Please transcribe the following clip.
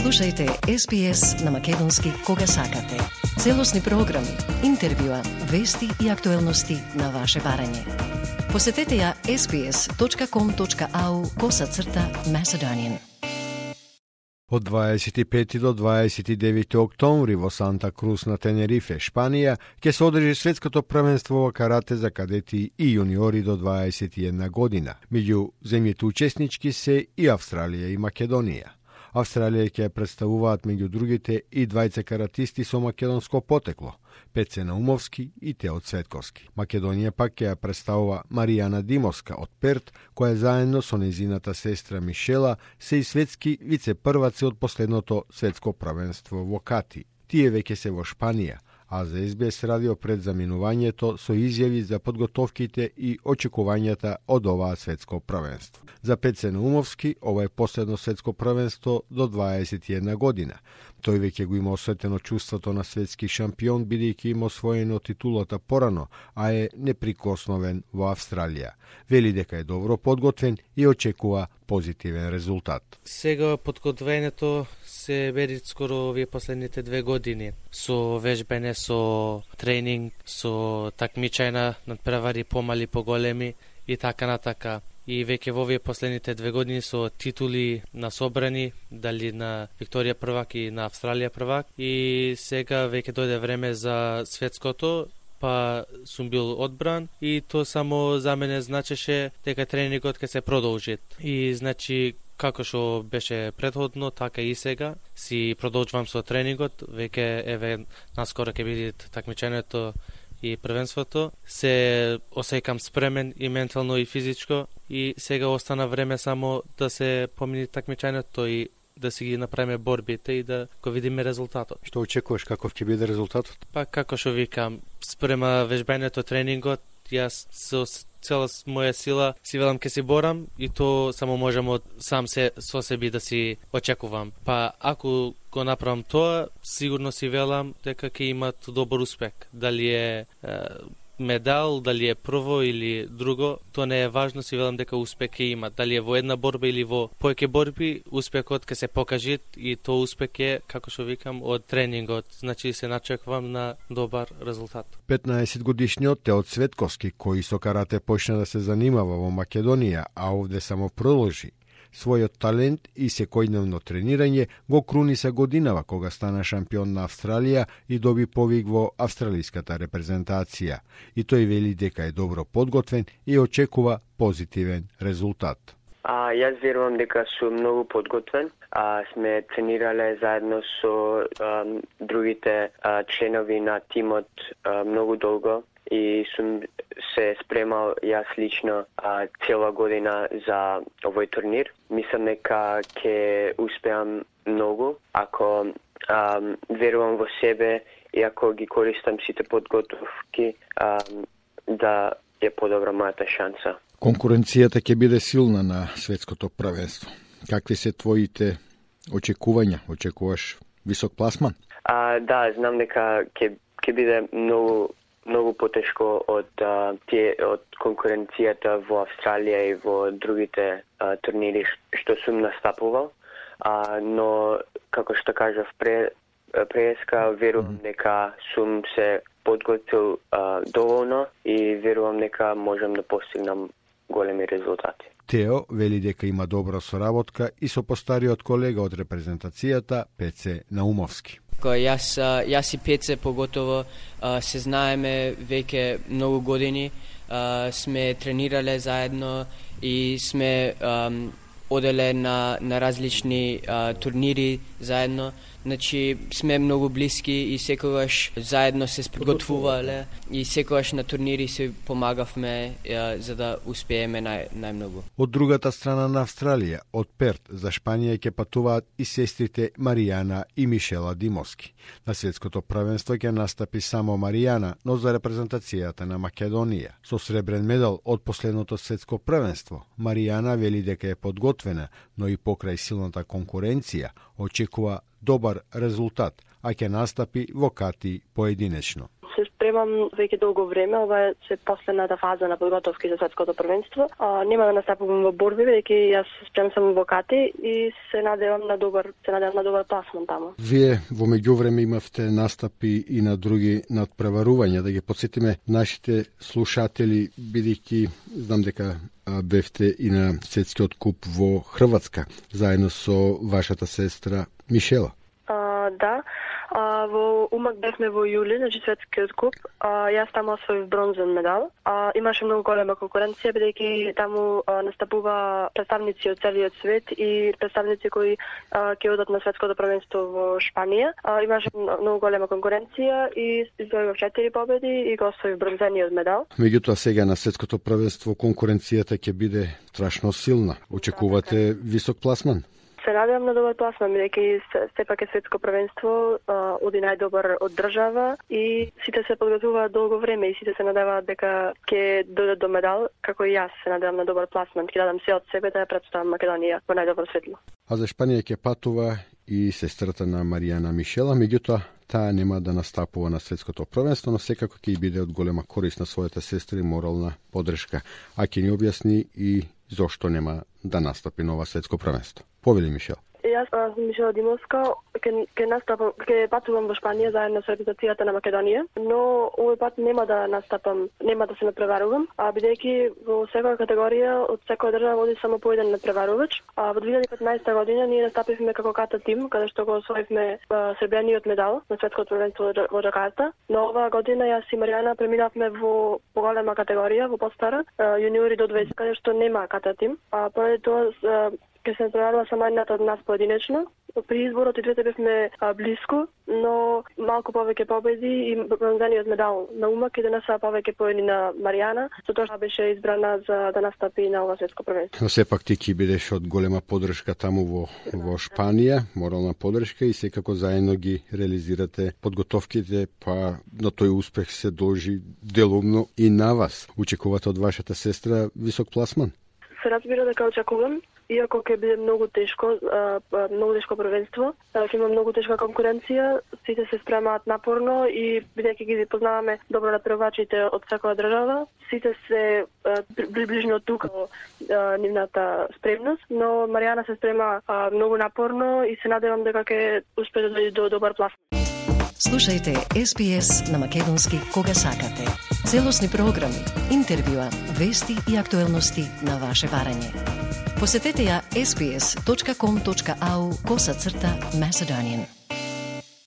Слушајте SPS на македонски кога сакате. Целосни програми, интервјуа, вести и актуелности на ваше барање. Посетете ја sbs.com.au/Macedonian. Од 25 до 29 октомври во Санта Крус на Тенерифе, Шпанија, ќе се одржи светското првенство во карате за кадети и јуниори до 21 година. Меѓу земјите учеснички се и Австралија и Македонија. Австралија ќе представуваат меѓу другите и двајца каратисти со македонско потекло, Пеце Наумовски и Тео Цветковски. Македонија пак ќе ја представува Маријана Димовска од Перт, која заедно со нејзината сестра Мишела се и светски вице-прваци од последното светско првенство во Кати. Тие веќе се во Шпанија, а за SBS радио пред заминувањето со изјави за подготовките и очекувањата од оваа светско првенство. За Пеце Наумовски, ова е последно светско првенство до 21 година. Тој веќе го има осетено чувството на светски шампион, бидејќи има освоено титулата порано, а е неприкосновен во Австралија. Вели дека е добро подготвен и очекува позитивен резултат. Сега подготвењето се бери скоро овие последните 2 години. Со вежбење, со тренинг, со такмичања, надпревари помали, поголеми и така натака. И веќе во овие последните 2 години со титули на собрани, дали на Викторија првак и на Австралија првак. И сега веќе дојде време за светското, па сум бил одбран и то само за мене значеше дека тренингот ќе се продолжи. И значи како што беше претходно, така и сега си продолжувам со тренингот. Веќе еве наскоро ќе биде такмичењето и првенството. Се осеќам спремен и ментално и физичко и сега остана време само да се помини такмичењето и да си ги направиме борбите и да го видиме резултатот. Што очекуваш, каков ќе биде резултатот? Па како што викам, спрема вежбањето, тренингот, јас со цела моја сила си велам ке си борам и то само можам од сам со себе да си очекувам. Па ако го направам тоа, сигурно си велам дека ќе имат добар успех. Дали е медал, дали е прво или друго, тоа не е важно, си велам дека успех ќе има. Дали е во една борба или во повеќе борби, успехот ќе се покаже и тоа успех е, како што викам, од тренингот. Значи се начекувам на добар резултат. 15-годишниот Тео Цветковски, кој со карате почна да се занимава во Македонија, а овде само продолжи својот талент и секојдневно тренирање, го круни се годинава кога стана шампион на Австралија и доби повик во австралиската репрезентација. И тој вели дека е добро подготвен и очекува позитивен резултат. Јас верувам дека сум многу подготвен. Сме тренирале заедно со другите членови на тимот многу долго и сум се спремал јас лично цела година за овој турнир. Мислам дека ќе успеам многу ако верувам во себе и ако ги користам сите подготовки да е подобра мојата шанса. Конкуренцијата ќе биде силна на светското првенство. Какви се твоите очекувања? Очекуваш висок пласман? Да, знам дека ќе биде многу потешко од конкуренцијата во Австралија и во другите турнири што сум настапувал, но како што кажав преска, верувам дека сум се подготвил доволно и верувам дека можам да постигнам големи резултати. Тео вели дека има добра соработка и со постариот колега од репрезентацијата Пеце Наумовски. Јас и Пеце поготово се знаеме веќе многу години, сме тренирале заедно и сме оделе на различни турнири заедно. Значи сме многу блиски и секогаш заедно се подготвувале и секогаш на турнири се помагавме за да успееме најмногу. Од другата страна на Австралија, од Перт за Шпанија ќе патуваат и сестрите Маријана и Мишела Димовски. На светското првенство ќе настапи само Маријана, но за репрезентацијата на Македонија. Со сребрен медал од последното светско првенство, Маријана вели дека е подготвена, но и покрај силната конкуренција очекува добар резултат, а ќе настапи во Кати поединечно. Се спремам немам веќе долго време, ова е последната фаза на подготовки за светското првенство. Нема да настапувам во борби, веќе јас спремам само во кати и се надевам на добар пласман таму. Вие во меѓувреме имавте настапи и на други надпреварувања, да ги потсетиме нашите слушатели, бидејќи знам дека бевте и на светскиот куп во Хрватска, заедно со вашата сестра Мишела. Да, во Умак бевме во јули, значи светскиот куп. Јас таму освоив бронзен медал. Имаше многу голема конкуренција, бидејќи таму настапува представници од целиот свет и представници кои ќе одат на светското првенство во Шпанија. Имаше многу голема конкуренција и извојував 4 победи и го освоив бронзениот медал. Меѓутоа сега на светското првенство конкуренцијата ќе биде страшно силна. Очекувате висок пласман? Се надевам на добар пласман, бидејќи сепак е светско првенство, оди најдобар од држава и сите се подготвуваат долго време и сите се надеваат дека ќе дојдат до медал, како и јас се надевам на добар пласман, ќе дадам се од себе да ја представам Македонија во најдобро светло. А за Шпанија ќе патува и сестрата на Маријана Мишела, меѓутоа таа нема да настапува на светското првенство, но секако ќе биде од голема корист на својата сестра и морална поддршка. А ќе ни објасни и зошто нема да настапи на ова светско првенство. Повели Мишел. Јас сум Мишела Димовска, ќе патувам во Шпанија заедно со репрезентацијата на Македонија, но овој пат нема да настапам, нема да се надпреварувам, бидејќи во секоја категорија од секоја држава води само по еден надпреварувач. Во 2015 година ние настапивме како ката тим, каде што го освоивме сребрениот медал на светското првенство во Џакарта, но оваа година јас и Маријана преминавме во поголема категорија, во постара, јуниори до 20, каде што нема ката тим. Поради тоа ќе се надпреварува само едната од нас поединечно. При изборот и двете бевме блиску, но малку повеќе победи и бронзениот медал на Умак и денеса повеќе поени на Маријана, затоа што беше избрана за да настапи на ова светско првенство. Но сепак ти ќе бидеш од голема поддршка таму во Шпанија, морална поддршка и секако заедно ги реализирате подготовките, па на тој успех се должи делумно и на вас. Очекувате од вашата сестра висок пласман? Се разбира дека очекувам. Иако ќе биде многу тешко првенство, ќе има многу тешка конкуренција, сите се спремаат напорно и бидејќи ги познаваме добро надпреварувачите од секоја држава, сите се приближно тука нивната спремност, но Маријана се спрема многу напорно и се надевам дека ќе успее да дојде до добар пласман. Слушајте SPS на македонски кога сакате. Целосни програми, интервјуа, вести и актуелности на ваше барање. Посетете ја sbs.com.au/Macedonian.